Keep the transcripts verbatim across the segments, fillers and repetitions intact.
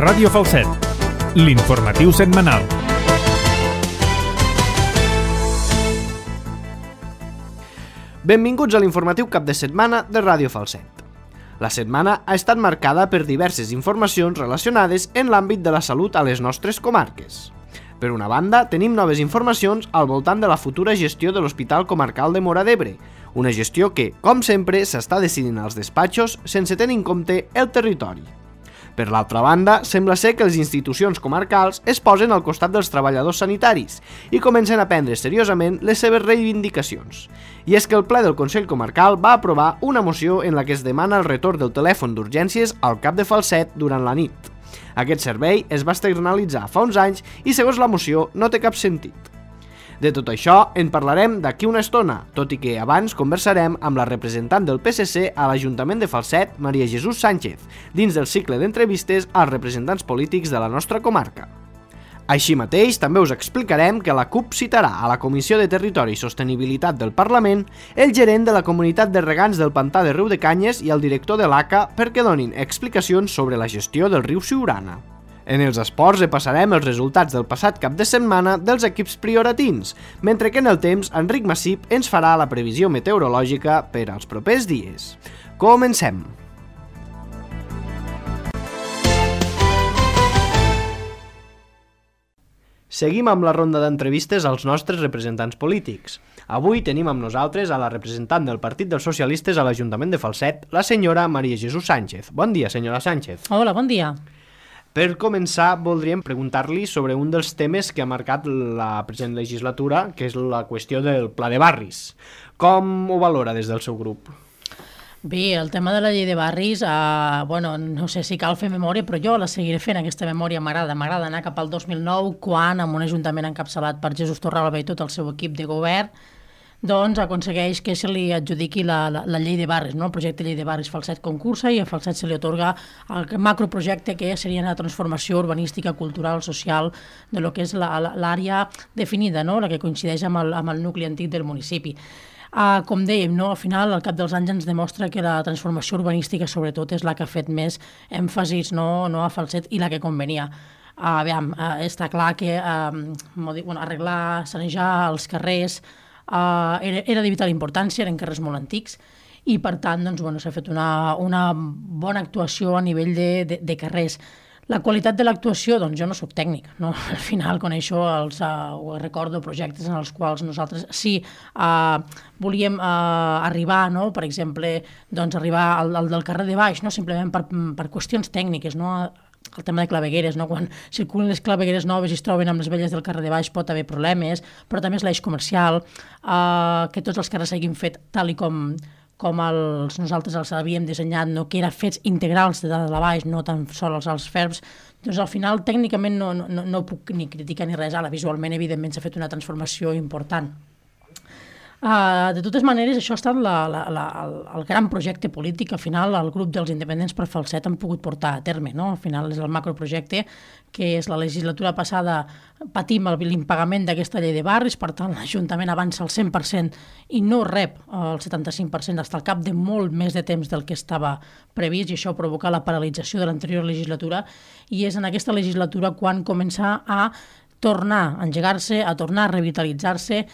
Ràdio Falset, l'informatiu setmanal. Benvinguts a l'informatiu cap de setmana de Ràdio Falset. La setmana ha estat marcada per diverses informacions relacionades en l'àmbit de la salut a les nostres comarques. Per una banda, tenim noves informacions al voltant de la futura gestió de l'Hospital Comarcal de Móra d'Ebre, una gestió que, com sempre, s'està decidint als despatxos sense tenir en compte el territori. Per l'altra banda, sembla ser que les institucions comarcals es posen al costat dels treballadors sanitaris i comencen a prendre seriosament les seves reivindicacions. I és que el ple del Consell Comarcal va aprovar una moció en la que es demana el retorn del telèfon d'urgències al cap de Falset durant la nit. Aquest servei es va externalitzar fa uns anys i, segons la moció, no té cap sentit. De tot això en parlarem d'aquí una estona, tot i que abans conversarem amb la representant del P S C a l'Ajuntament de Falset, Maria Jesús Sánchez, dins del cicle d'entrevistes als representants polítics de la nostra comarca. Així mateix, també us explicarem que la CUP citarà a la Comissió de Territori i Sostenibilitat del Parlament el gerent de la comunitat de regants del pantà de Riu de Canyes i el director de l'A C A perquè donin explicacions sobre la gestió del riu Siurana. En els esports repassarem els resultats del passat cap de setmana dels equips prioratins, mentre que en el temps Enric Massip ens farà la previsió meteorològica per als propers dies. Comencem! Seguim amb la ronda d'entrevistes als nostres representants polítics. Avui tenim amb nosaltres a la representant del Partit dels Socialistes a l'Ajuntament de Falset, la senyora Maria Jesús Sánchez. Bon dia, senyora Sánchez. Hola, bon dia. Per començar, voldríem preguntar-li sobre un dels temes que ha marcat la present legislatura, que és la qüestió del Pla de Barris. Com ho valora des del seu grup? Bé, el tema de la llei de barris, eh, bueno, no sé si cal fer memòria, però jo la seguiré fent, aquesta memòria m'agrada. M'agrada anar cap al dos mil nou, quan, amb un ajuntament encapçalat per Jesús Torralba i tot el seu equip de govern, doncs aconsegueix que se li adjudiqui la, la, la llei de barris, no? El projecte Llei de Barris Falset concursa i a Falset se li atorga el macroprojecte que seria la transformació urbanística, cultural, social de lo que és l'àrea definida, no? La que coincideix amb el, amb el nucli antic del municipi. Uh, com dèiem, no? Al final, al cap dels anys ens demostra que la transformació urbanística sobretot és la que ha fet més èmfasis, no, no a Falset, i la que convenia. Uh, aviam, uh, està clar que uh, bueno, arreglar, sanejar els carrers Uh, era, era de vital importància, eren carrers molt antics i per tant doncs, bueno, s'ha fet una, una bona actuació a nivell de, de, de carrers. La qualitat de l'actuació, doncs jo no soc tècnic, no? Al final coneixo els, uh, recordo projectes en els quals nosaltres sí uh, volíem uh, arribar, no? Per exemple, doncs arribar al, al del carrer de baix, no? Simplement per, per qüestions tècniques, no? El tema de clavegueres, no? Quan circulen les clavegueres noves i es troben amb les velles del carrer de baix pot haver problemes, però també és l'eix comercial, eh, que tots els carrers s'hagin fet tal i com, com els, nosaltres els havíem dissenyat, no? Que eren fets integrals de dalt a baix, no tan sols els ferbs. Doncs al final tècnicament no, no, no puc ni criticar ni res, ara visualment evidentment s'ha fet una transformació important. Uh, de totes maneres, això ha estat la, la, la, el, el gran projecte polític que al final el grup dels independents per Falset han pogut portar a terme, no? Al final és el macroprojecte que és la legislatura passada patim l'impagament d'aquesta llei de barris, per tant l'Ajuntament avança el cent per cent i no rep el setanta-cinc per cent fins al cap de molt més de temps del que estava previst i això provoca la paralització de l'anterior legislatura i és en aquesta legislatura quan comença a tornar a engegar-se, a tornar a revitalitzar-se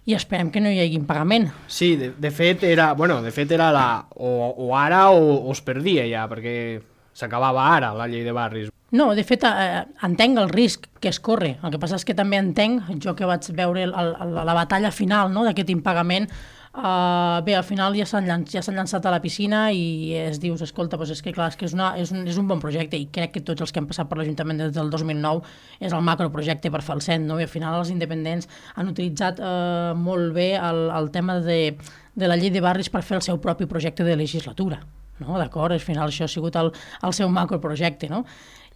i esperem que no hi hagi impagament. Sí, de, de fet era, bueno, de fet era la, o, o ara o, o es perdia ja, perquè s'acabava ara la llei de barris. No, de fet, eh, entenc el risc que es corre. El que passa és que també entenc, jo que vaig veure el, el, la batalla final, no?, d'aquest impagament, Uh, bé, al final ja s'han llanç, ja llançat a la piscina i es dius, escolta, doncs és que clar, és, que és, una, és, un, és un bon projecte i crec que tots els que han passat per l'Ajuntament des del dos mil nou és el macroprojecte per Falset, no? I al final els independents han utilitzat uh, molt bé el, el tema de, de la llei de barris per fer el seu propi projecte de legislatura, no? D'acord? Al final això ha sigut el, el seu macroprojecte, no?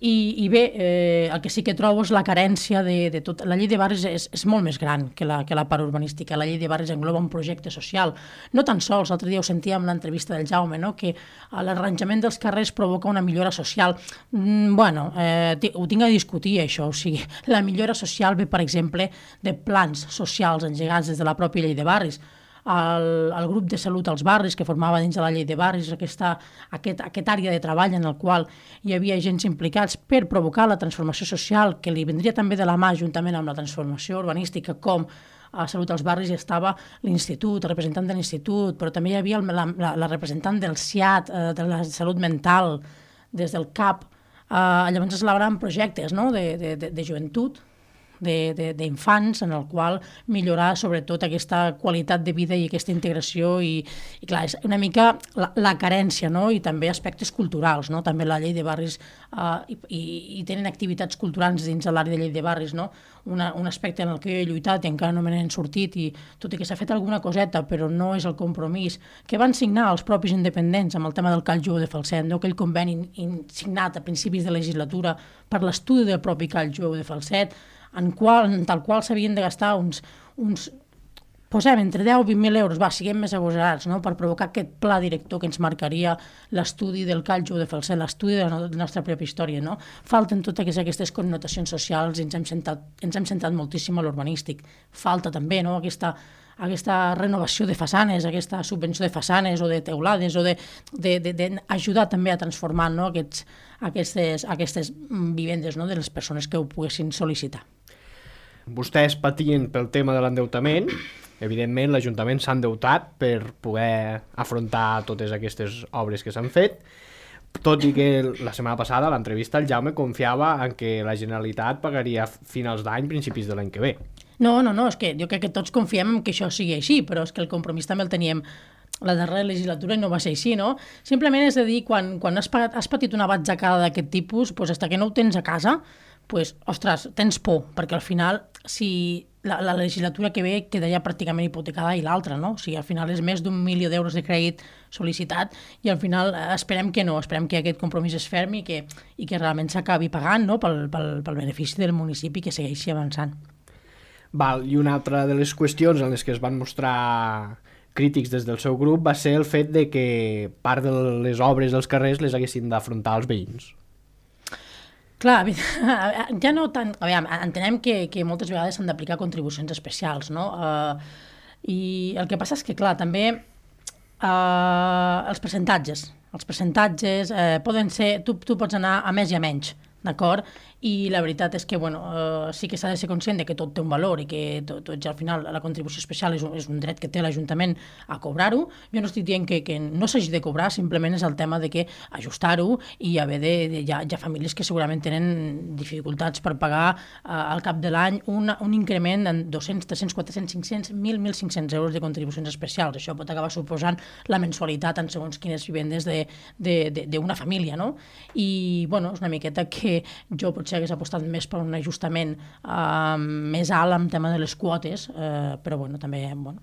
I, i bé, eh, el que sí que trobo és la carència de, de tot. La llei de barris és, és molt més gran que la, que la part urbanística. La llei de barris engloba un projecte social. No tan sols, l'altre dia ho sentia en l'entrevista del Jaume, no?, que l'arranjament dels carrers provoca una millora social. Mm, bueno, eh, ho tinc a discutir, això. O sigui, la millora social ve, per exemple, de plans socials engegats des de la pròpia llei de barris. el, el grup de salut als barris, que formava dins de la llei de barris aquesta, aquest, aquest àrea de treball en el qual hi havia agents implicats per provocar la transformació social, que li vendria també de la mà juntament amb la transformació urbanística, com a Salut als Barris hi estava l'institut, el representant de l'institut, però també hi havia el, la, la, la representant del S I A T, eh, de la salut mental, des del C A P. Eh, llavors es elaboraven projectes, no?, de, de, de, de joventut, d'infants, en el qual millorar sobretot aquesta qualitat de vida i aquesta integració i, i clar, és una mica la, la carència, no?, i també aspectes culturals, no?, també la llei de barris eh, i, i tenen activitats culturals dins de l'àrea de llei de barris, no?, Una, un aspecte en el que jo he lluitat i encara no me n'he sortit i tot i que s'ha fet alguna coseta però no és el compromís que van signar els propis independents amb el tema del Call Jueu de Falset, no?, aquell conveni in, signat a principis de legislatura per l'estudi del propi Call Jueu de Falset, en, qual, en tal qual s'havien de gastar uns, uns posem entre deu i vint mil euros, va, siguem més agosarats, no?, per provocar aquest pla director que ens marcaria l'estudi del Call Jueu de Falset, l'estudi de la nostra pròpia història, no? Falten totes aquestes connotacions socials i ens hem centrat, ens hem centrat moltíssim a l'urbanístic. Falta també, no?, aquesta, aquesta renovació de façanes, aquesta subvenció de façanes o de teulades, o d'ajudar també a transformar, no?, aquests, aquestes, aquestes vivendes, no?, de les persones que ho poguessin sol·licitar. Vostès patien pel tema de l'endeutament. Evidentment, l'Ajuntament s'ha endeutat per poder afrontar totes aquestes obres que s'han fet, tot i que la setmana passada, a l'entrevista, el Jaume confiava en que la Generalitat pagaria finals d'any, principis de l'any que ve. No, no, no, és que jo crec que tots confiem en que això sigui així, però és que el compromís també el teníem la darrera legislatura i no va ser així, no? Simplement és a dir, quan, quan has, pagat, has patit una batzecada d'aquest tipus, doncs, fins que no ho tens a casa, pues, ostres, tens por, perquè al final, si la, la legislatura que ve quedaria pràcticament hipotecada i l'altra, no? O sigui, al final és més d'un milió d'euros de crèdit sol·licitat i al final esperem que no, esperem que aquest compromís es fermi i que, i que realment s'acabi pagant, no?, pel, pel, pel benefici del municipi que segueixi avançant. Val, i una altra de les qüestions en les que es van mostrar crítics des del seu grup va ser el fet de que part de les obres dels carrers les haguessin d'afrontar els veïns. Clar, ja no tant... A veure, entenem que, que moltes vegades s'han d'aplicar contribucions especials, no? Uh, I el que passa és que, clar, també uh, els percentatges, els percentatges eh, poden ser... Tu, tu pots anar a més i a menys, d'acord? I la veritat és que, bueno, eh, sí que s'ha de ser conscient de que tot té un valor i que tot, tot al final la contribució especial és un, és un dret que té l'Ajuntament a cobrar-ho. Jo no estic dient que, que no s'hagi de cobrar, simplement és el tema de que ajustar-ho i haver de... de hi, ha, hi ha famílies que segurament tenen dificultats per pagar eh, al cap de l'any un, un increment de dos-cents, tres-cents, quatre-cents, cinc-cents, mil, mil cinc-cents euros de contribucions especials. Això pot acabar suposant la mensualitat en segons quines vivendes d'una família, no? I, bueno, és una miqueta que jo potser hagués apostat més per un ajustament eh, més alt en tema de les quotes, eh, però bueno, també bueno,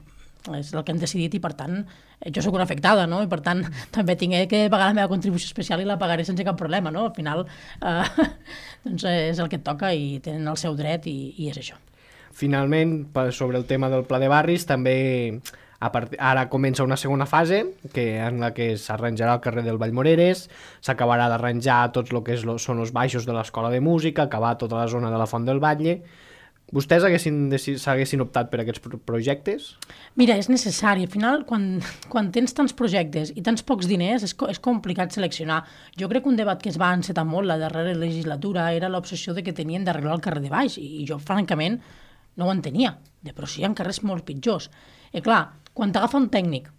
és el que hem decidit i per tant jo sóc una afectada, no? I per tant també tinc que pagar la meva contribució especial i la pagaré sense cap problema, no? Al final eh, doncs és el que et toca i tenen el seu dret i, i és això. Finalment, sobre el tema del Pla de Barris, també a part... ara comença una segona fase que en la que s'arranjarà el carrer del Vallmoreres, s'acabarà d'arranjar tots el que és lo... són els baixos de l'escola de música, acabar tota la zona de la Font del Batlle. Vostès s'haguessin optat per aquests projectes? Mira, és necessari. Al final, quan, quan tens tants projectes i tants pocs diners, és, és complicat seleccionar. Jo crec que un debat que es va encetar molt la darrera legislatura era l'obsessió de que tenien d'arreglar el carrer de baix i jo, francament, no ho entenia. De, però sí, hi ha carrers molt pitjors. I clar, quan t'agafa un tècnic,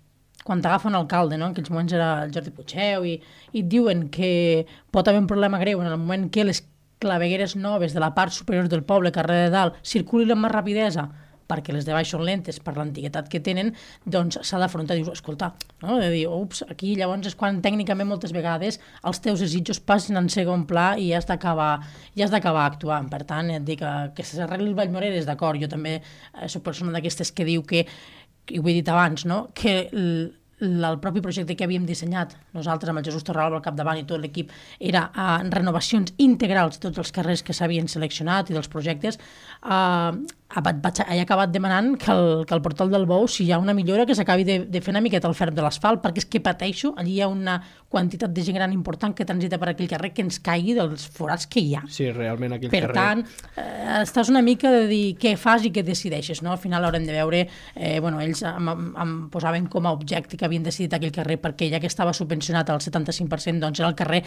quan t'agafa un alcalde, no? En aquells moments era el Jordi Puigdeu, i, i et diuen que pot haver un problema greu en el moment que les clavegueres noves de la part superior del poble, carrer de dalt, circulin amb més rapidesa, perquè les de baix són lentes per l'antiguitat que tenen, doncs s'ha d'afrontar, dius, escolta, no? De dir, ups, aquí llavors és quan tècnicament moltes vegades els teus desitjos passen en segon pla i has d'acabar i has d'acabar actuant. Per tant, et dic que, que s'arregli el Vallmoreres, d'acord, jo també eh, soc persona d'aquestes que diu que, i ho he dit abans, no? Que el propi projecte que havíem dissenyat nosaltres amb el Jesús Torralba al capdavant i tot l'equip era uh, renovacions integrals de tots els carrers que s'havien seleccionat i dels projectes, uh, vaig, he acabat demanant que el, que el portal del Bou, si hi ha una millora, que s'acabi de, de fer una miqueta el ferm de l'asfalt, perquè és que pateixo, allí hi ha una quantitat de gent gran important que transita per aquell carrer que ens caigui dels forats que hi ha. Sí, realment aquell per carrer... Per tant, eh, estàs una mica de dir què fas i què decideixes, no? Al final haurem de veure, eh, bueno, ells em, em posaven com a objecte que havien decidit aquell carrer perquè ja que estava subvencionat al setanta-cinc per cent, doncs era el carrer,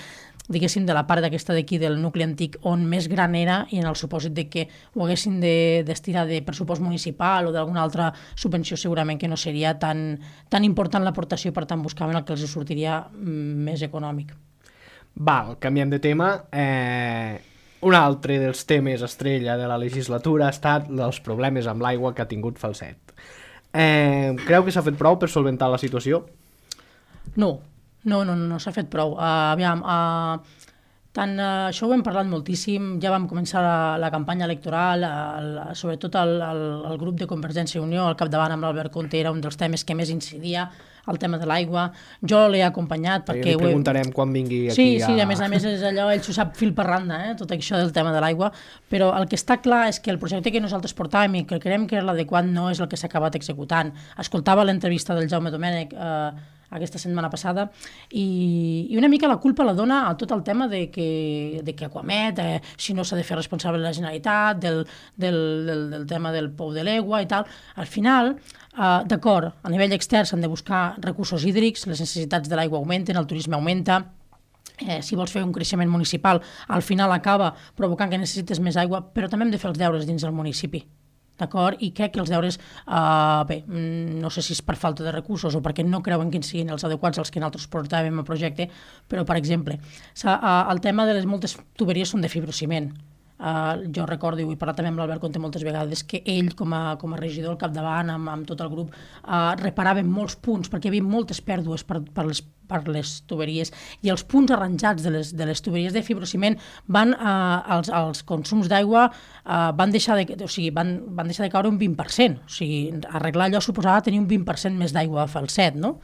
diguéssim, de la part d'aquesta d'aquí del nucli antic on més gran era, i en el supòsit de que ho haguessin de destinar de pressupost municipal o d'alguna altra subvenció, segurament que no seria tan, tan important l'aportació, per tant buscaven el que els sortiria més econòmic. Val, canviem de tema. Eh, un altre dels temes estrella de la legislatura ha estat els problemes amb l'aigua que ha tingut Falset. Eh, creu que s'ha fet prou per solventar la situació? No, no, no, no, no s'ha fet prou. Uh, aviam, uh, tant, uh, això ho hem parlat moltíssim, ja vam començar la, la campanya electoral, uh, sobretot el, el, el grup de Convergència i Unió, al capdavant amb l'Albert Conte, era un dels temes que més incidia, el tema de l'aigua. Jo l'he acompanyat perquè... Li preguntarem he... quan vingui aquí. Sí, sí, a... a més a més és allò, ell s'ho sap fil per randa, eh, tot això del tema de l'aigua, però el que està clar és que el projecte que nosaltres portàvem i que creiem que era l'adequat no és el que s'ha acabat executant. Escoltava l'entrevista del Jaume Domènech eh, aquesta setmana passada i, i una mica la culpa la dona a tot el tema de que, de que Aquamet, eh, si no s'ha de fer responsable de la Generalitat, del, del, del, del tema del pou de l'aigua i tal. Al final, Uh, d'acord, a nivell extern s'han de buscar recursos hídrics, les necessitats de l'aigua augmenten, el turisme augmenta, eh, si vols fer un creixement municipal, al final acaba provocant que necessites més aigua, però també hem de fer els deures dins del municipi. D'acord? I crec que els deures, uh, bé, no sé si és per falta de recursos o perquè no creuen que siguin els adequats als que nosaltres portàvem al projecte, però, per exemple, uh, el tema de les moltes tuberies són de fibrociment. Uh, jo recordo, i ho he parlat també amb l'Albert Conte moltes vegades, que ell com a, com a regidor al capdavant amb, amb tot el grup uh, reparava molts punts perquè hi havia moltes pèrdues per, per, les, per les tuberies, i els punts arranjats de les, de les tuberies de fibrociment van, uh, als, als consums d'aigua uh, van, deixar de, o sigui, van, van deixar de caure un vint per cent, o sigui, arreglar allò suposava tenir un vint per cent més d'aigua a Falset, no?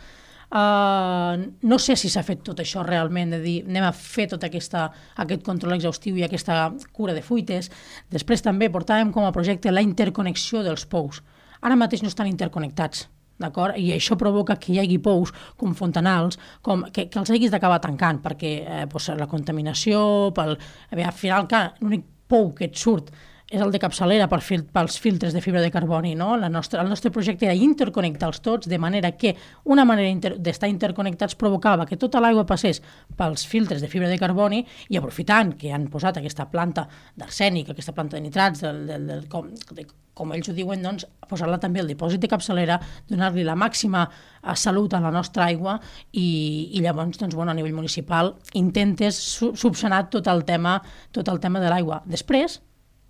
Uh, no sé si s'ha fet tot això realment, de dir anem a fer tot aquesta, aquest control exhaustiu i aquesta cura de fuites. Després també portàvem com a projecte la interconnexió dels pous. Ara mateix no estan interconnectats, d'acord? I això provoca que hi hagi pous com fontanals, com, que, que els haguis d'acabar tancant, perquè eh, pues, la contaminació, pel, bé, al final l'únic pou que et surt és el de capçalera per fil, pels filtres de fibra de carboni, no? La nostra, el nostre projecte era interconnectar-los tots, de manera que una manera inter, d'estar interconnectats provocava que tota l'aigua passés pels filtres de fibra de carboni, i aprofitant que han posat aquesta planta d'arsènic, aquesta planta de nitrats, del, del, del, com, de, com ells ho diuen, doncs, posar-la també al dipòsit de capçalera, donar-li la màxima salut a la nostra aigua, i, i llavors, doncs, bueno, a nivell municipal intentes subsanar tot el tema, tot el tema de l'aigua. Després,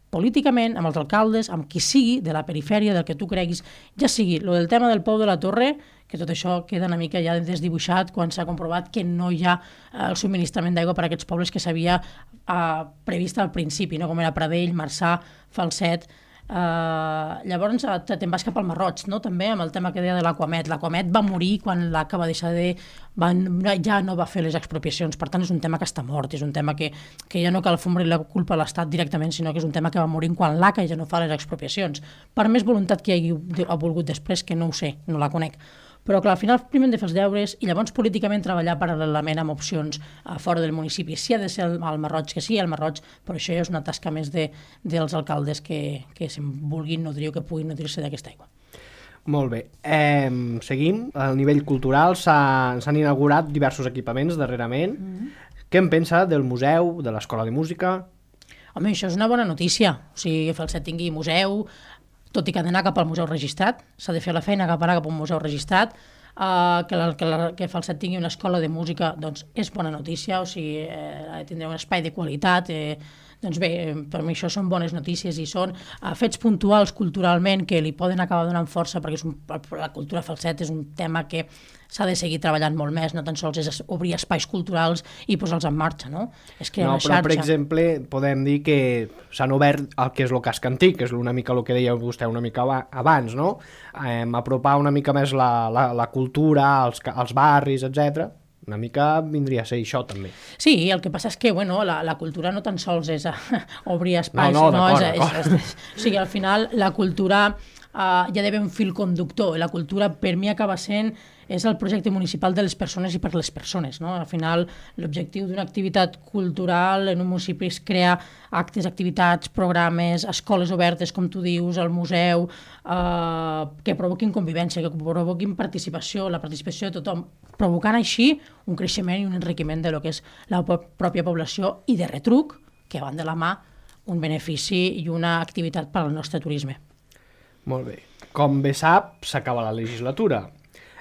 políticament, amb els alcaldes, amb qui sigui, de la perifèria, del que tu creguis, ja sigui, lo del tema del pou de la Torre, que tot això queda una mica ja desdibuixat quan s'ha comprovat que no hi ha eh, el subministrament d'aigua per a aquests pobles que s'havia eh, previst al principi, no? Com era Pradell, Marçà, Falset. Uh, llavors te'n vas cap al Marroig, no? També amb el tema que deia de l'Aquamet. L'Aquamet va morir quan l'Aca va deixar de... Va, ja no va fer les expropiacions, per tant és un tema que està mort, és un tema que, que ja no cal fumar la culpa a l'Estat directament, sinó que és un tema que va morir quan l'Aca ja no fa les expropiacions. Per més voluntat que hi hagi ha volgut després, que no ho sé, no la conec. Però clar, al final primer hem de fer els deures i llavors políticament treballar paral·lelament amb opcions a fora del municipi. Si ha de ser al Marroig, que sí, al Marroig, però això ja és una tasca més de, dels alcaldes que, que se'n vulguin nodrir o que puguin nodrir-se d'aquesta aigua. Molt bé. Eh, seguim. A nivell cultural s'han inaugurat diversos equipaments darrerament. Mm-hmm. Què en pensa del museu, de l'escola de música? Home, això és una bona notícia. O sigui, que Falset tingui museu, tot i que ha d'anar cap al museu registrat, s'ha de fer la feina cap anar cap a un museu registrat, uh, que, la, que, la, que Falset tingui una escola de música, doncs és bona notícia, o sigui, eh, tindrà un espai de qualitat, eh, Doncs bé, per mi això són bones notícies i són uh, fets puntuals culturalment que li poden acabar donant força, perquè és un, la cultura Falset és un tema que s'ha de seguir treballant molt més, no tan sols és obrir espais culturals i posar-los en marxa, no? És crear no, una xarxa. Però, per exemple, podem dir que s'han obert el que és el casc antic, que és una mica el que deia vostè una mica abans, no? Eh, apropar una mica més la, la, la cultura, els, els barris, etcètera. Una mica vindria a ser això, també. Sí, el que passa és que, bueno, la, la cultura no tan sols és a, obrir espais, no, no, no, d'acord, és, és, és, és, o sigui, al final la cultura uh, hi ha d'haver un fil conductor, la cultura per mi acaba sent és el projecte municipal de les persones i per les persones, no? Al final, l'objectiu d'una activitat cultural en un municipi és crear actes, activitats, programes, escoles obertes, com tu dius, el museu, eh, que provoquin convivència, que provoquin participació, la participació de tothom, provocant així un creixement i un enriquiment de lo que és la pròpia població i de retruc, que van de la mà, un benefici i una activitat per al nostre turisme. Molt bé. Com bé sap, s'acaba la legislatura.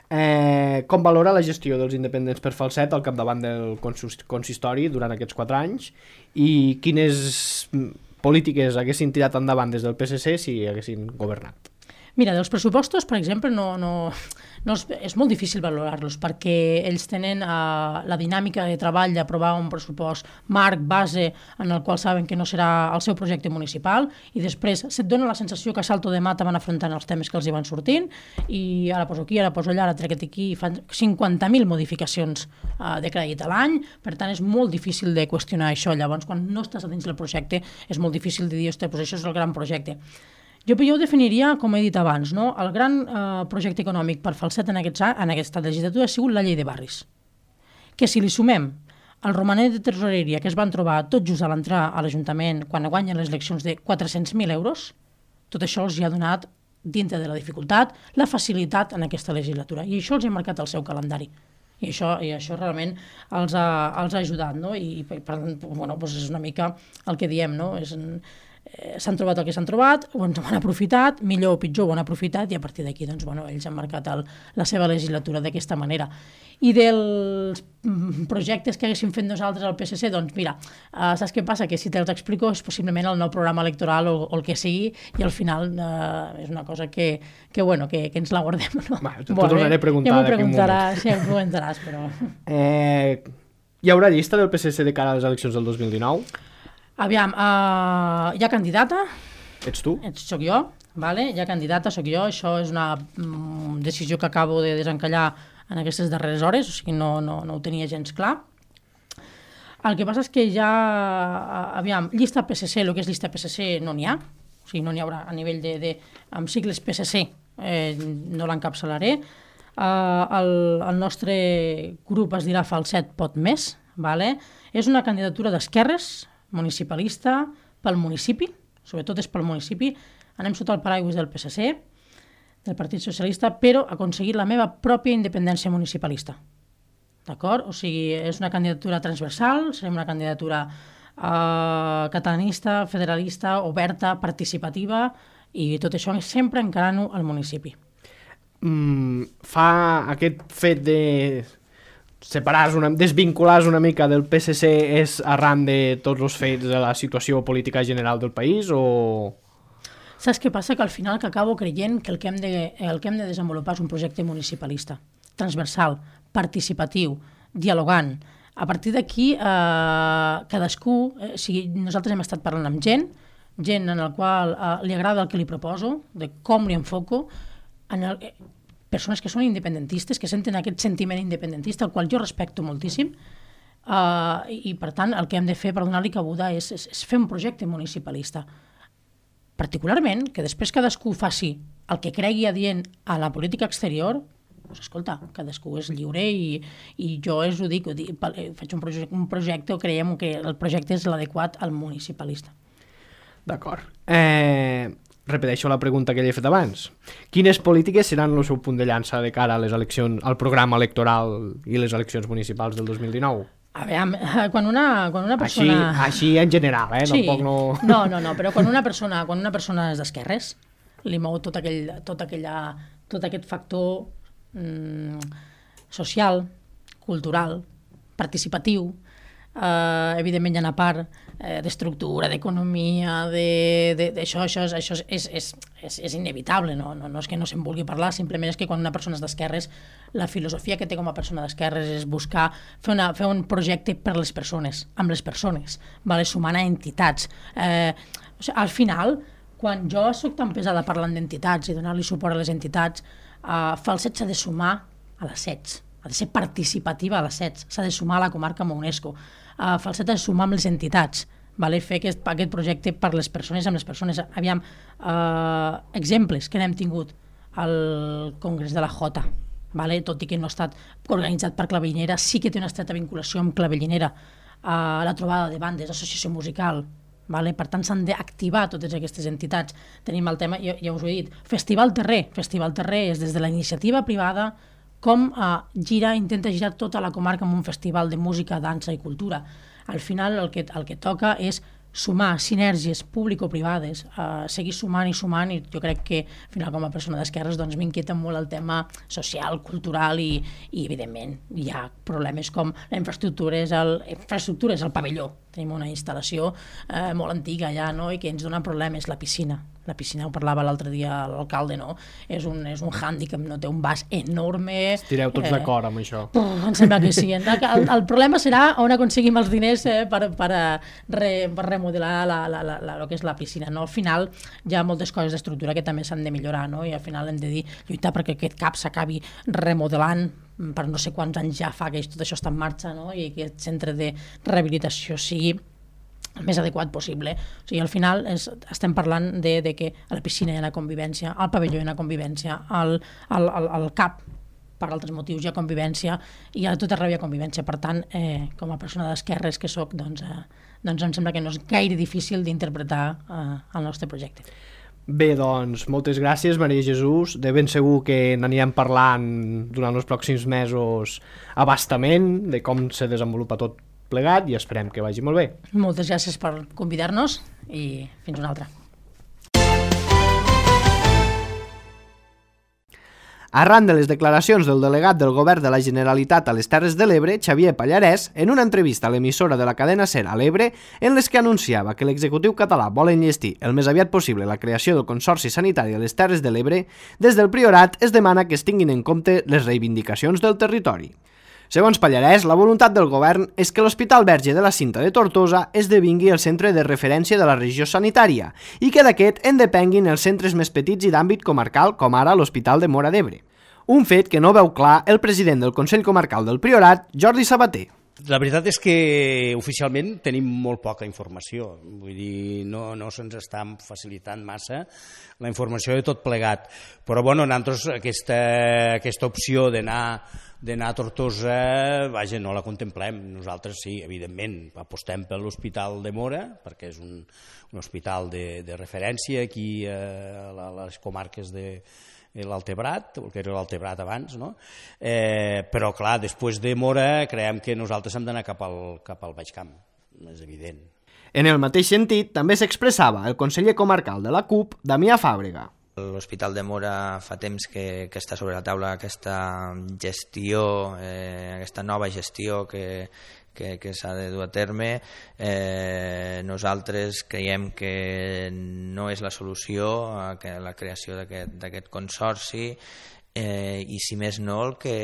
Eh, com valora la gestió dels independents per Falset al capdavant del consistori durant aquests quatre anys i quines polítiques haguessin tirat endavant des del P S C si haguessin governat? Mira, dels pressupostos, per exemple, no, no, no és, és molt difícil valorar-los perquè ells tenen uh, la dinàmica de treball d'aprovar un pressupost marc, base, en el qual saben que no serà el seu projecte municipal i després se't dona la sensació que a salto de mata van afrontant els temes que els hi van sortint i ara poso aquí, ara poso allà, ara trec aquí, fan cinquanta mil modificacions uh, de crèdit a l'any, per tant és molt difícil de qüestionar això. Llavors, quan no estàs a dins del projecte, és molt difícil de dir, ostres, doncs això és el gran projecte. Jo, jo ho definiria, com he dit abans, no? El gran eh, projecte econòmic per Falset en, aquests, en aquesta legislatura ha sigut la llei de barris, que si li sumem el romanet de tresoreria que es van trobar tot just a l'entrar a l'Ajuntament quan guanyen les eleccions de quatre-cents mil euros, tot això els hi ha donat, dintre de la dificultat, la facilitat en aquesta legislatura. I això els ha marcat el seu calendari. I això, i això realment els ha, els ha ajudat, no? I per tant, bueno, doncs és una mica el que diem, no? És... s'han trobat el que s'han trobat, ho han aprofitat, millor o pitjor ho han aprofitat i a partir d'aquí doncs, bueno, ells han marcat el, la seva legislatura d'aquesta manera. I dels projectes que haguéssim fet nosaltres al P S C, doncs mira, uh, saps què passa? Que si te'ls explico és possiblement el nou programa electoral o, o el que sigui i al final uh, és una cosa que, que, bueno, que, que ens la guardem. No? Va, t'ho tornaré a preguntar. Ja m'ho preguntaràs, ja m'ho preguntaràs, però... Eh, hi haurà llista del P S C de cara a les eleccions del dos mil dinou? Aviam, uh, hi ha candidata. Ets tu? Ets, soc jo, vale? Hi ha candidata, soc jo. Això és una mm, decisió que acabo de desencallar en aquestes darreres hores, o sigui, no, no, no ho tenia gens clar. El que passa és que ja, aviam, llista P S C, el que és llista P S C no n'hi ha, o sigui, no n'hi haurà a nivell de, de amb sigles P S C, eh, no l'encapçalaré. Uh, el, el nostre grup es dirà Falset Pot Més, vale? És una candidatura d'esquerres, municipalista, pel municipi, sobretot és pel municipi, anem sota el paraigües del P S C, del Partit Socialista, però ha aconseguit la meva pròpia independència municipalista. D'acord? O sigui, és una candidatura transversal, serem una candidatura eh, catalanista, federalista, oberta, participativa, i tot això sempre encarant-ho al municipi. Mm, fa aquest fet de... separar una, desvincular una mica del P S C és arran de tots els fets de la situació política general del país o... Saps què passa? Que al final que acabo creient que el que hem de, el que hem de desenvolupar és un projecte municipalista, transversal, participatiu, dialogant. A partir d'aquí, eh, cadascú, eh, o sigui, nosaltres hem estat parlant amb gent, gent en la qual eh, li agrada el que li proposo, de com li enfoco, en el... persones que són independentistes, que senten aquest sentiment independentista, el qual jo respecto moltíssim, uh, i, i per tant el que hem de fer per donar-li cabuda és, és, és fer un projecte municipalista. Particularment, que després cadascú faci el que cregui adient a la política exterior, doncs escolta, cadascú és lliure i, i jo és, ho dic, ho dic, faig un projecte, un projecte o creiem que el projecte és l'adequat al municipalista. D'acord. Eh... Repeteixo la pregunta que li he fet abans. Quines polítiques seran el seu punt de llança de cara a les eleccions, al programa electoral i les eleccions municipals del dos mil dinou? A veure, quan una, quan una persona... Així, així en general, eh? Sí. Tampoc no... no, no, no, però quan una persona, quan una persona és d'esquerres, li mou tot, aquell, tot, aquella, tot aquest factor mm, social, cultural, participatiu, eh, evidentment hi ha una part eh, d'estructura, d'economia, d'això, això, això és, és, és, és inevitable, no? No, no és que no se'n vulgui parlar, simplement és que quan una persona és d'esquerres, la filosofia que té com a persona d'esquerres és buscar fer, una, fer un projecte per les persones, amb les persones, vale? Sumant a entitats. Eh, o sigui, al final, quan jo soc tan pesada parlant d'entitats i donar-li suport a les entitats, eh, Falset s'ha de sumar a l'assaig, ha de ser participativa a l'assaig, s'ha de sumar a la comarca amb UNESCO, uh, Falset ha de sumar amb les entitats, vale? Fer aquest, aquest projecte per les persones, amb les persones. Aviam, uh, exemples que n'hem tingut al Congrés de la Jota, vale? Tot i que no ha estat organitzat per Clavellinera, sí que té una estreta vinculació amb Clavellinera, uh, la trobada de bandes, associació musical, vale? Per tant s'han d'activar totes aquestes entitats. Tenim el tema, ja, ja us ho he dit, Festival Terrer. Festival Terrer és des de la iniciativa privada com eh, gira, intenta girar tota la comarca amb un festival de música, dansa i cultura. Al final el que, el que toca és sumar sinergies público-privades, eh, seguir sumant i sumant, i jo crec que al final com a persona d'esquerres doncs, m'inquieta molt el tema social, cultural i, i evidentment hi ha problemes com la infraestructura és el, infraestructura és el pavelló. Tenim una instal·lació eh, molt antiga allà, no? I que ens dona problemes, la piscina. La piscina, ho parlava l'altre dia l'alcalde, no? És un, és un hàndicap, no? Té un vas enorme. Estireu tots eh, d'acord amb això. Puf, em sembla que sí. El, el problema serà on aconseguim els diners eh, per, per, re, per remodelar la, la, la, la, el que és la piscina. No? Al final hi ha moltes coses d'estructura que també s'han de millorar, no? I al final hem de dir, lluitar perquè aquest cap s'acabi remodelant per no sé quants anys ja fa que tot això està en marxa, no? I que aquest centre de rehabilitació sigui el més adequat possible. O sigui, al final és, estem parlant de, de que a la piscina hi ha una convivència, al pavelló hi ha una convivència, al, al, al, al CAP per altres motius hi ha convivència i a tot arreu hi ha convivència. Per tant, eh, com a persona d'esquerres que soc, doncs, eh, doncs em sembla que no és gaire difícil d'interpretar eh, el nostre projecte. Bé, doncs, moltes gràcies, Maria Jesús. De ben segur que n'anirem parlant durant els pròxims mesos a bastament de com se desenvolupa tot plegat i esperem que vagi molt bé. Moltes gràcies per convidar-nos i fins una altra. Arran de les declaracions del delegat del Govern de la Generalitat a les Terres de l'Ebre, Xavier Pallarès, en una entrevista a l'emissora de la cadena SER a l'Ebre, en les que anunciava que l'executiu català vol enllestir el més aviat possible la creació del Consorci Sanitari a les Terres de l'Ebre, des del Priorat es demana que es tinguin en compte les reivindicacions del territori. Segons Pallarès, la voluntat del govern és que l'Hospital Verge de la Cinta de Tortosa esdevingui el centre de referència de la regió sanitària i que d'aquest en depenguin els centres més petits i d'àmbit comarcal, com ara l'Hospital de Móra d'Ebre. Un fet que no veu clar el president del Consell Comarcal del Priorat, Jordi Sabater. La veritat és que oficialment tenim molt poca informació, vull dir, no, no se'ns està facilitant massa la informació de tot plegat, però bueno, nosaltres aquesta, aquesta opció d'anar d'anar a Tortosa, vaja, no la contemplem. Nosaltres sí, evidentment, apostem per l'Hospital de Móra, perquè és un, un hospital de, de referència aquí a, a les comarques de l'Altebrat, el que era l'Altebrat abans, no? Eh, però clar, després de Móra creiem que nosaltres hem d'anar cap al, cap al Baix Camp, és evident. En el mateix sentit, també s'expressava el conseller comarcal de la C U P, Damià Fàbrega. L'Hospital de Móra fa temps que, que està sobre la taula aquesta gestió, eh, aquesta nova gestió que, que, que s'ha de dur a terme. Eh, nosaltres creiem que no és la solució a que la creació d'aquest consorci, eh, i si més no el que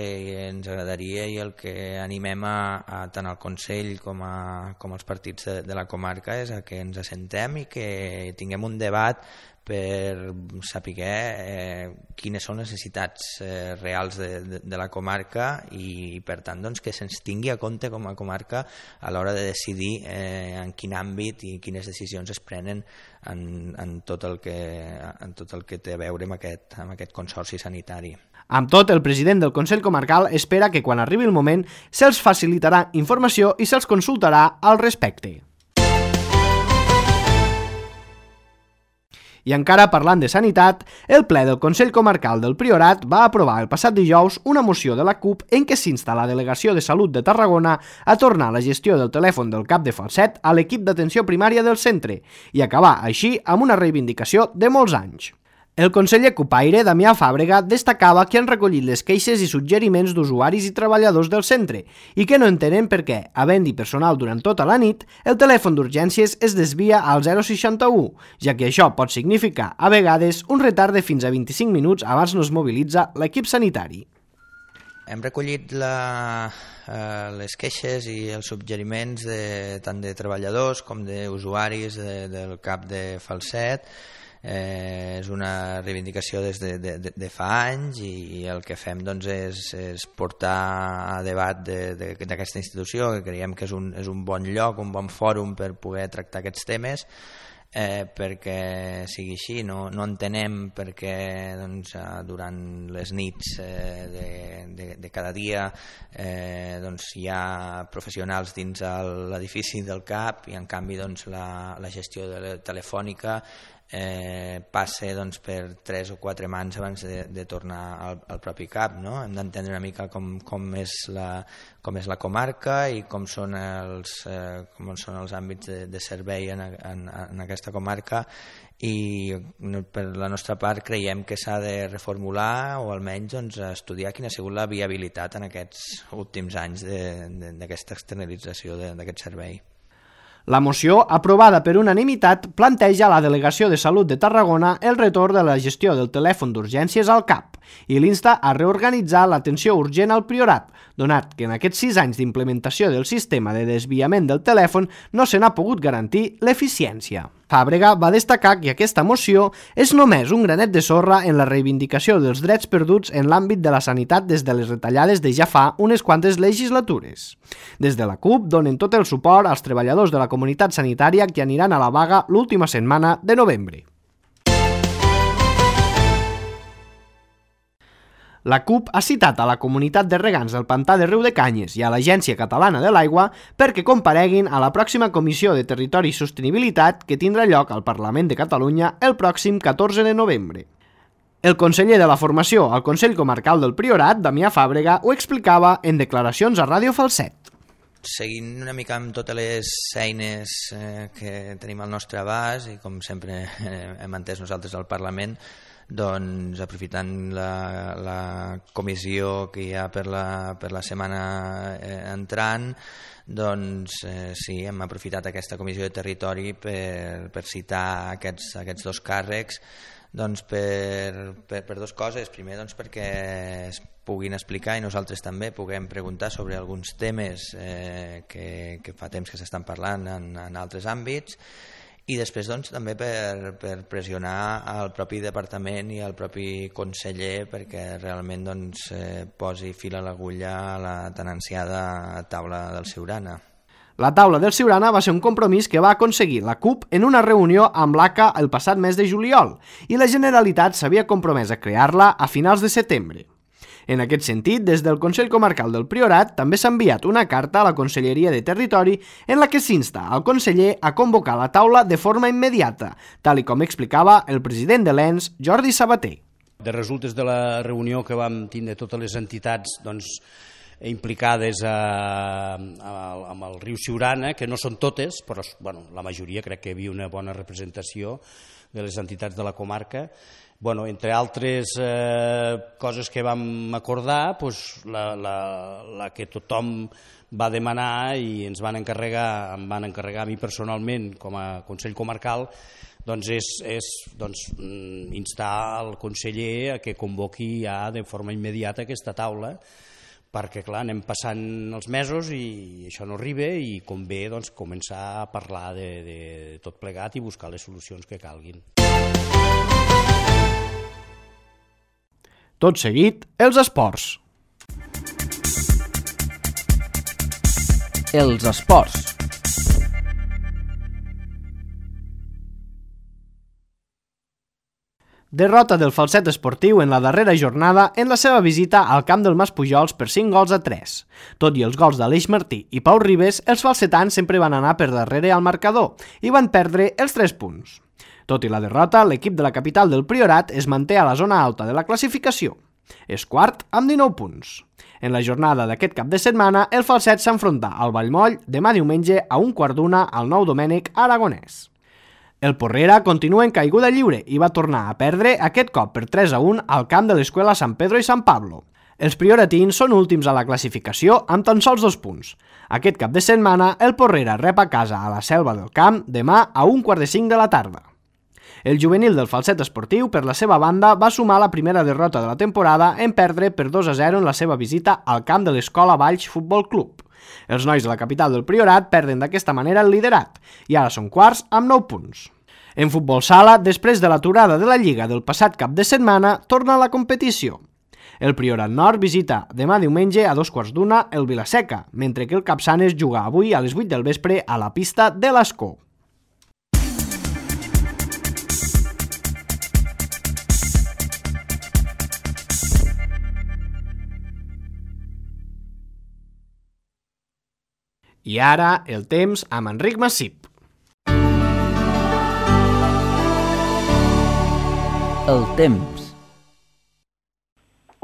ens agradaria i el que animem a, a tant al Consell com, a, com als partits de, de la comarca és a que ens assentem i que tinguem un debat per saber eh, quines són les necessitats eh, reals de, de, de la comarca i per tant doncs, que se'ns tingui a compte com a comarca a l'hora de decidir eh, en quin àmbit i quines decisions es prenen en, en, tot el que, en tot el que té a veure amb aquest, amb aquest consorci sanitari. Amb tot, el president del Consell Comarcal espera que quan arribi el moment se'ls facilitarà informació i se'ls consultarà al respecte. I encara parlant de sanitat, el ple del Consell Comarcal del Priorat va aprovar el passat dijous una moció de la C U P en què s'insta la Delegació de Salut de Tarragona a tornar la gestió del telèfon del cap de Falset a l'equip d'atenció primària del centre i acabar així amb una reivindicació de molts anys. El conseller Cupaire, Damià Fàbrega, destacava que han recollit les queixes i suggeriments d'usuaris i treballadors del centre i que no entenen per què, havent-hi personal durant tota la nit, el telèfon d'urgències es desvia al zero seixanta-u, ja que això pot significar, a vegades, un retard de fins a vint-i-cinc minuts abans no es mobilitza l'equip sanitari. Hem recollit la, eh, les queixes i els suggeriments de, tant de treballadors com d'usuaris de, del CAP de Falset. Eh, és una reivindicació des de, de, de fa anys i el que fem doncs, és, és portar a debat d'aquesta institució, que creiem que és un, és un bon lloc, un bon fòrum per poder tractar aquests temes, eh, perquè sigui així. No, no entenem perquè doncs, durant les nits eh, de, de, de cada dia eh, doncs, hi ha professionals dins l'edifici del CAP i en canvi doncs, la, la gestió de la telefònica eh, passa doncs, per tres o quatre mans abans de, de tornar al, al propi CAP, no? Hem d'entendre una mica com, com, és la, com és la comarca i com són els, eh, com són els àmbits de, de servei en, en, en aquesta comarca, i per la nostra part creiem que s'ha de reformular o almenys doncs, estudiar quina ha sigut la viabilitat en aquests últims anys d'aquesta externalització d'aquest servei. La moció, aprovada per unanimitat, planteja a la Delegació de Salut de Tarragona el retorn de la gestió del telèfon d'urgències al CAP i l'insta a reorganitzar l'atenció urgent al Priorat, donat que en aquests sis anys d'implementació del sistema de desviament del telèfon no se n'ha pogut garantir l'eficiència. Fàbrega va destacar que aquesta moció és només un granet de sorra en la reivindicació dels drets perduts en l'àmbit de la sanitat des de les retallades de ja fa unes quantes legislatures. Des de la CUP donen tot el suport als treballadors de la comunitat sanitària que aniran a la vaga l'última setmana de novembre. La CUP ha citat a la comunitat de regants del Pantà de Riudecanyes i a l'Agència Catalana de l'Aigua perquè compareguin a la pròxima Comissió de Territori i Sostenibilitat que tindrà lloc al Parlament de Catalunya el pròxim catorze de novembre. El conseller de la Formació al Consell Comarcal del Priorat, Damià Fàbrega, ho explicava en declaracions a Ràdio Falset. Seguint una mica amb totes les eines eh, que tenim al nostre abast i com sempre eh, hem entès nosaltres al Parlament, doncs aprofitant la, la comissió que hi ha per la, per la setmana eh, entrant, doncs eh, sí, hem aprofitat aquesta comissió de territori per, per citar aquests, aquests dos càrrecs, doncs per, per, per dues coses. Primer doncs perquè es puguin explicar i nosaltres també puguem preguntar sobre alguns temes eh, que, que fa temps que s'estan parlant en, en altres àmbits, i després doncs, també per, per pressionar al propi departament i al propi conseller perquè realment doncs, eh, posi fil a l'agulla a la tan ansiada taula del Siurana. La taula del Siurana va ser un compromís que va aconseguir la CUP en una reunió amb l'A C A el passat mes de juliol i la Generalitat s'havia compromès a crear-la a finals de setembre. En aquest sentit, des del Consell Comarcal del Priorat també s'ha enviat una carta a la Conselleria de Territori en la que s'insta al conseller a convocar la taula de forma immediata, tal i com explicava el president de l'E N S, Jordi Sabater. De resultes de la reunió que vam tindre totes les entitats doncs, implicades a, a, amb el riu Siurana, que no són totes, però bueno, la majoria crec que hi havia una bona representació de les entitats de la comarca. Bueno, entre altres eh, coses que vam acordar, pues, la, la, la que tothom va demanar i ens van encarregar, em van encarregar a mi personalment com a Consell Comarcal, doncs és, és doncs, instar el conseller a que convoqui ja de forma immediata aquesta taula, perquè clar, anem passant els mesos i això no arriba i convé doncs, començar a parlar de, de tot plegat i buscar les solucions que calguin. Tot seguit, els esports. Els esports. Derrota del Falset Esportiu en la darrera jornada en la seva visita al camp del Maspujols per cinc gols a tres. Tot i els gols d'Aleix Martí i Pau Ribes, els falsetans sempre van anar per darrere al marcador i van perdre els tres punts. Tot i la derrota, l'equip de la capital del Priorat es manté a la zona alta de la classificació. És quart amb dinou punts. En la jornada d'aquest cap de setmana, el Falset s'enfronta al Vallmoll demà diumenge a un quart d'una al Nou Domènec Aragonès. El Porrera continua en caiguda lliure i va tornar a perdre aquest cop per tres a un al camp de l'Escuela San Pedro i San Pablo. Els prioratins són últims a la classificació amb tan sols dos punts. Aquest cap de setmana, el Porrera rep a casa a la Selva del Camp demà a un quart de cinc de la tarda. El juvenil del Falset Esportiu, per la seva banda, va sumar la primera derrota de la temporada en perdre per dos a zero en la seva visita al camp de l'Escola Valls Futbol Club. Els nois de la capital del Priorat perden d'aquesta manera el liderat i ara són quarts amb nou punts. En futbol sala, després de l'aturada de la Lliga del passat cap de setmana, torna a la competició. El Priorat Nord visita demà diumenge a dos quarts d'una el Vilaseca, mentre que el Capçanes juga avui a les vuit del vespre a la pista de l'Escó. I ara, el temps amb Enric Massip. El temps.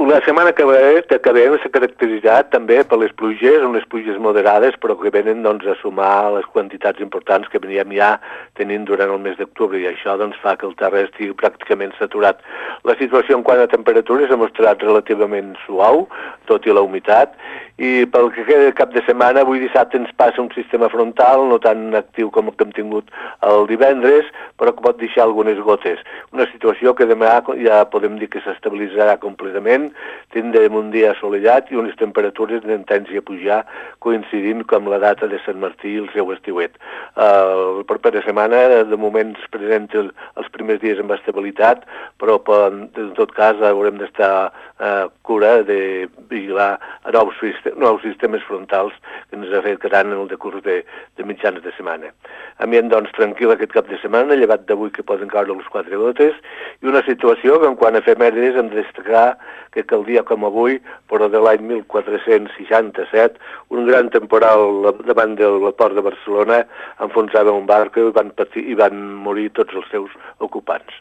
La setmana que ve, que ve s'ha caracteritzat també per les pluges, unes pluges moderades, però que venen doncs, a sumar les quantitats importants que veníem ja tenint durant el mes d'octubre, i això doncs, fa que el terra estigui pràcticament saturat. La situació en quant a temperatures ha mostrat relativament suau, tot i la humitat, i pel que queda de cap de setmana, avui dissabte ens passa un sistema frontal no tan actiu com el que hem tingut el divendres, però que pot deixar algunes gotes. Una situació que demà ja podem dir que s'estabilitzarà completament, tindrem un dia assolellat i unes temperatures de tendència a pujar, coincidint amb la data de Sant Martí i el seu estiuet. Uh, la propera setmana, de moment, es presenta els primers dies amb estabilitat, però en tot cas haurem d'estar uh, cura de vigilar nous, nous sistemes frontals que ens afectaran en el decurs de, de mitjans de setmana. Ambient, doncs, tranquil aquest cap de setmana, llevat d'avui que poden caure les quatre gotes, i una situació que en quant a efemèrides hem de destacar que que el dia com avui, però de l'any mil quatre-cents seixanta-set, un gran temporal davant del port de Barcelona enfonsava un barco i van, patir, i van morir tots els seus ocupants.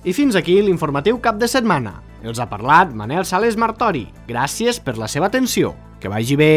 I fins aquí l'informatiu cap de setmana. Els ha parlat Manel Sales Martori. Gràcies per la seva atenció. Que vagi bé!